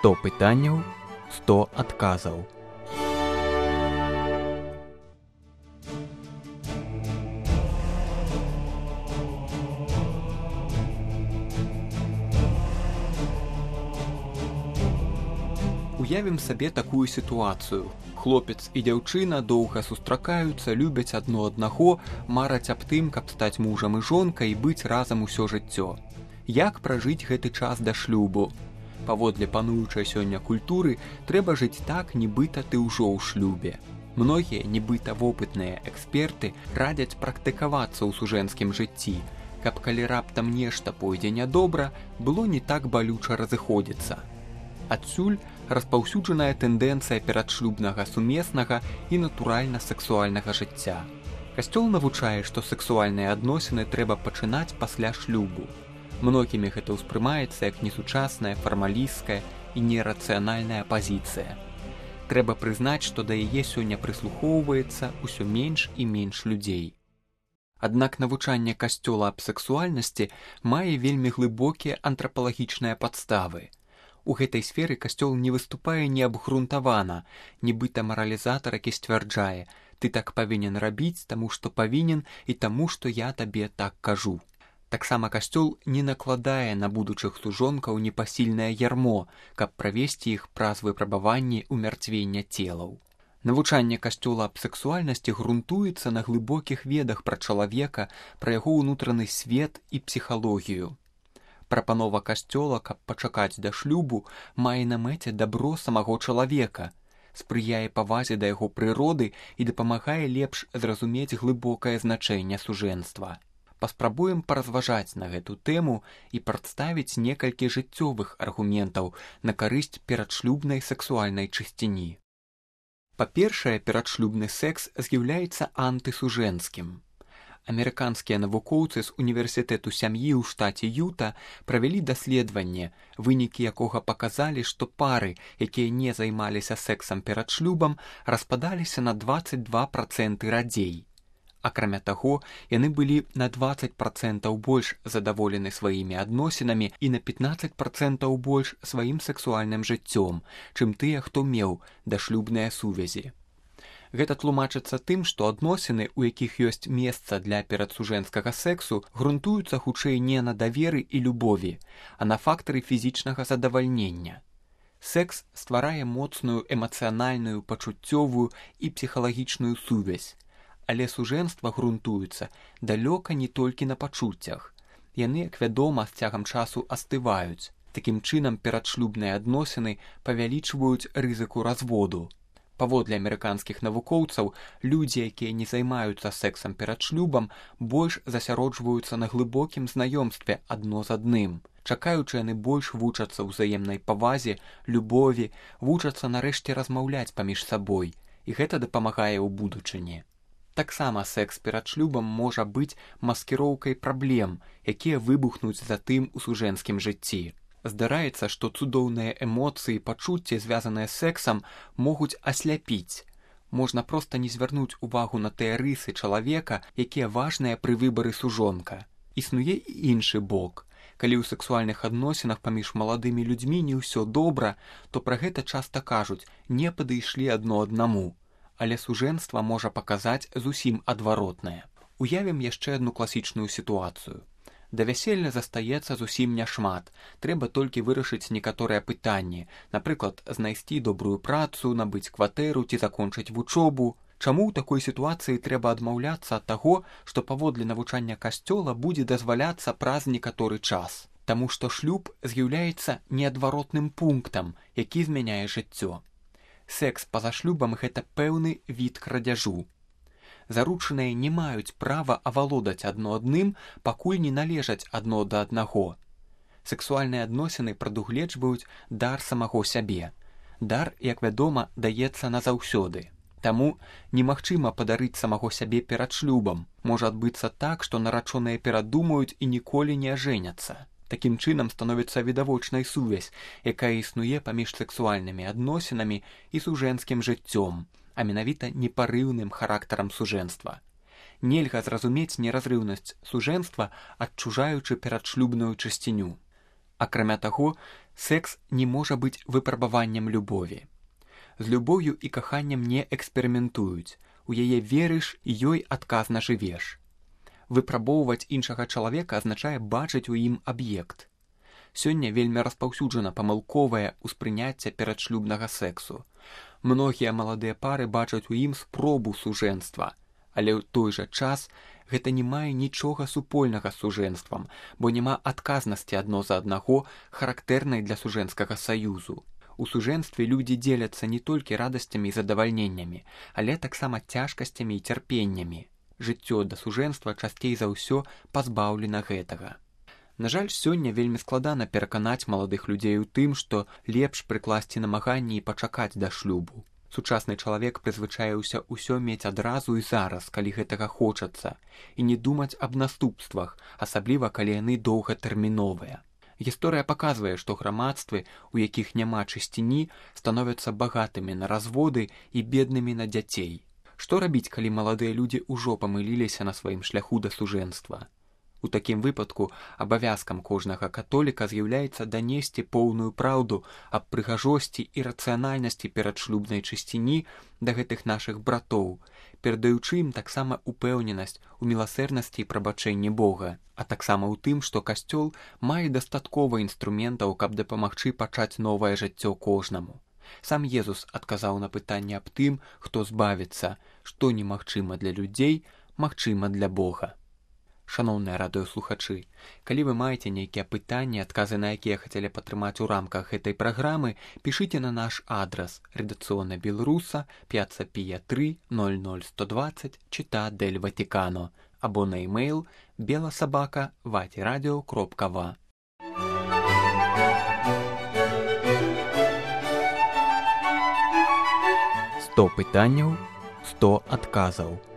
100 пытанняў, 100 адказаў. Уявім сабе такую сітуацыю. Хлопец і дзяўчына доўга сустракаюцца, любяць адно аднаго, мараць аб тым, каб стаць мужам і жонкай і быць разам усё жыццё. Як пражыць гэты час да шлюбу? Паводле пануючай сёння культуры трэба жыць так, нібыта ты ўжо ў шлюбе. Многія нібыта вопытныя эксперты радзяць практыкавацца ў сужэнскім жыцці, каб калі раптам нешта пойдзе нядобра, было не так балюча разыходзіцца. Адсюль распаўсюджаная тэндэнцыя перадшлюбнага сумеснага і натуральна-сексуальнага жыцця. Касцёл навучае, што сексуальныя адносіны трэба пачынаць пасля шлюбу. Многімі гэта ўспрымаецца як несучасная, фармалісцкая і нерацыянальная пазіцыя. Трэба прызнаць, што да яе сёння прыслухоўваецца ўсё менш і менш людзей. Аднак навучанне касцёла аб сексуальнасці мае вельмі глыбокія антрапалагічныя падставы. У гэтай сферы касцёл не выступае неабгрунтавана, нібыта маралізатар, які сцвярджае: «Ты так павінен рабіць, таму што павінен і таму, што я табе так кажу». Таксама касцёл не накладае на будучых служонкаў непасільнае ярмо, каб правесці іх праз выпрабаванні ўмярцвення целаў. Навучанне касцёла аб сексуальнасці грунтуецца на глыбокіх ведах пра чалавека, пра яго ўнутраны свет і псіхалогію. Прапанова касцёла, каб пачакаць да шлюбу, мае на мэце дабро самого чалавека, спрыяе павазе да яго прыроды і дапамагае лепш зразумець глыбокае значэнне сужэнства. Паспрабуем паразважаць на гэту тэму і прадставіць некалькі жыццёвых аргументаў на карысць перадшлюбнай сексуальнай чысціні. Па-першае, перадшлюбны секс з'яўляецца антысужэнскім. Амерыканскія навукоўцы з універсітэту сям'і ў штаце Юта правялі даследаванне, вынікі якога паказалі, што пары, якія не займаліся сексам перад шлюбам, распадаліся на 22% радзей. Акрамя таго, яны былі на 20% больш задаволены сваімі адносінамі і на 15% больш сваім сексуальным жыццём, чым тыя, хто меў дашлюбныя сувязі. Гэта тлумачыцца тым, што адносіны, у якіх ёсць месца для перадсужэнскага сексу, грунтуюцца хутчэй не на даверы і любові, а на фактары фізічнага задавальнення. Секс стварае моцную эмацыянальную, пачуццёвую і псіхалагічную сувязь, але сужэнства грунтуецца далёка не толькі на пачуццях. Яны, як вядома, з цягам часу астываюць. Такім чынам, перадшлюбныя адносіны павялічваюць рызыку разводу. Паводле амерыканскіх навукоўцаў, людзі, якія не займаюцца сексам перад шлюбам, больш засяроджваюцца на глыбокім знаёмстве адно з адным. Чакаючы, яны больш вучацца ўзаемнай павазе, любові, вучацца нарэшце размаўляць паміж сабой, і гэта дапамагае ў будучыні. Таксама секс перад шлюбам можа быць маскіроўкай праблем, якія выбухнуць затым у сужэнскім жыцці. Здараецца, што цудоўныя эмоцыі і пачуцці, звязаныя з сексам, могуць асляпіць. Можна проста не звярнуць увагу на тыя рысы чалавека, якія важныя пры выбары сужонка. Існуе і іншы бок. Калі ў сексуальных адносінах паміж маладымі людзьмі не ўсё добра, то пра гэта часта кажуць: не падышлі адно аднаму. Але сужэнства можа паказаць зусім адваротнае. Уявім яшчэ адну класічную сітуацыю. Да вяселля застаецца зусім няшмат. Трэба толькі вырашыць некаторыя пытанні, напрыклад, знайсці добрую працу, набыць кватэру ці закончыць вучобу. Чаму ў такой сітуацыі трэба адмаўляцца ад таго, што паводле навучання касцёла будзе дазваляцца праз некаторы час? Таму што шлюб з'яўляецца неадваротным пунктам, які змяняе жыццё. Секс па-за шлюбам – гэта пэўны від крадзяжу. Заручаныя не маюць права авалодаць адно адным, пакуль не належаць адно да аднаго. Сексуальныя адносіны прадугледжваюць дар самого сябе. Дар, як вядома, даецца назаўсёды. Таму немагчыма падарыць самого сябе перад шлюбам. Можа адбыцца так, што нарачоныя перадумаюць і ніколі не ажэняцца. Такім чынам становіцца відавочнай сувязь, якая існуе паміж сексуальнымі адносінамі і сужэнскім жыццём, а менавіта непарыўным характарам сужэнства. Нельга зразумець неразрыўнасць сужэнства, адчужаючы перадшлюбную чысціню. Акрамя таго, Секс не можа быць выпрабаваннем любові. З любоўю і каханнем не эксперыментуюць, у яе верыш і ёй адказна жывеш. Выпрабоўваць іншага чалавека азначае бачыць у ім аб'ект. Сёння вельмі распаўсюджана памылковае ўспрыняцце перадшлюбнага сексу. Многія маладыя пары бачаць у ім спробу сужэнства, але ў той жа час гэта не мае нічога супольнага з сужэнствам, бо няма адказнасці адно за аднаго, характэрнай для сужэнскага саюзу. У сужэнстве людзі дзеляцца не толькі радасцямі і задавальненнямі, але таксама цяжкасцямі і цярпеннямі. Жыццё да сужэнства часцей за ўсё пазбаўлена гэтага. На жаль, сёння вельмі складана пераканаць маладых людзей у тым, што лепш прыкласці намаганні і пачакаць да шлюбу. Сучасны чалавек прызвычаіўся ўсё мець адразу і зараз, калі гэтага хочацца, і не думаць аб наступствах, асабліва калі яны доўгатэрміновыя. Гісторыя паказвае, што грамадствы, у якіх няма чысціні, становяцца багатымі на разводы і беднымі на дзяцей. Што рабіць, калі маладыя людзі ўжо памыліліся на сваім шляху да сужэнства? У такім выпадку абавязкам кожнага католіка з'яўляецца данесці поўную праўду аб прыгажосці і рацыянальнасці перадшлюбнай чысціні да гэтых нашых братоў, перадаючы ім таксама упэўненасць у міласэрнасці і прабачэнні Бога, а таксама ў тым, што Касцёл мае дастаткова інструментаў, каб дапамагчы пачаць новае жыццё кожнаму. Сам Езус адказаў на пытанне аб тым, хто збавіцца, што немагчыма для людзей, магчыма для Бога. Шаноўныя радыёслухачы, калі вы маеце нейкія пытанні, адказы на якія хацелі падтрымаць у рамках гэтай праграмы, пішыце на наш адрас редакцыёна Беларуса, Пьяцца Пія 3, 00120, Città del Vaticano, або на e-mail belasobaka@vatiradio.va. 100 пытанняў, 100 адказаў.